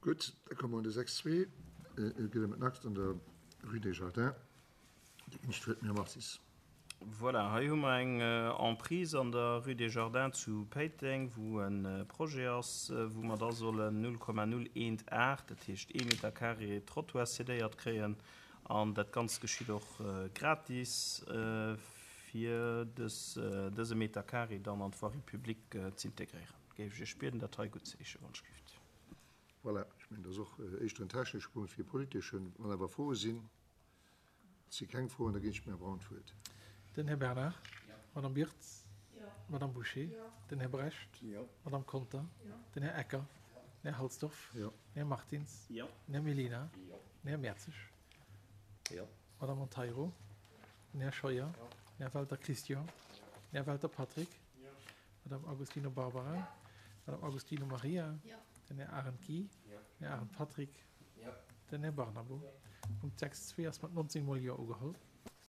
Gutt, da komme mer un de 6,2. Et geet ëm en Akt an der Rue des Jardins. Dir ginn ech d'Wuert dem Här Martis. Voilà, hei hu mer eng Emprise an der Rue des Jardins zu Péiteng, wou e Projet ass, wou mer da sollen 0,018, dat heescht ee Meter carré Trottoir cédéiert kréien. An dat Ganzt geschitt och gratis, fir dëse Meter carré dann an d'Voirie publique z'integréieren. Géif ech Iech bieden, dat hei guttzeheeschen, wann ech gift. Voilà, ech mengen, dat ass och éischter en technesche Punkt wéi e politeschen. Wann awer Froe sinn. Et si keng Froen, da ginn ech dem Här Braun d'Wuert. Den Här Bernard. D'Madame Birtz. D'Madame Bouché. Den Här Brecht. D'Madame Conter. Den Här Ecker. Den Här Halsdorf. Den Här Martins. Den Här Mellina. Den Här Mertzig. D'Madame Monteiro. Den Här Scheuer. Den Här Welter Christian. Den Här Welter Patrick. D'Madame Agostino Barbara. D'Madame Agostino Maria. Den Här Arendt Guy. Den Här Arendt Patrick. Den Här Barnabo. Punkt 6.2 ass mat 19 mol Jo ugeholl.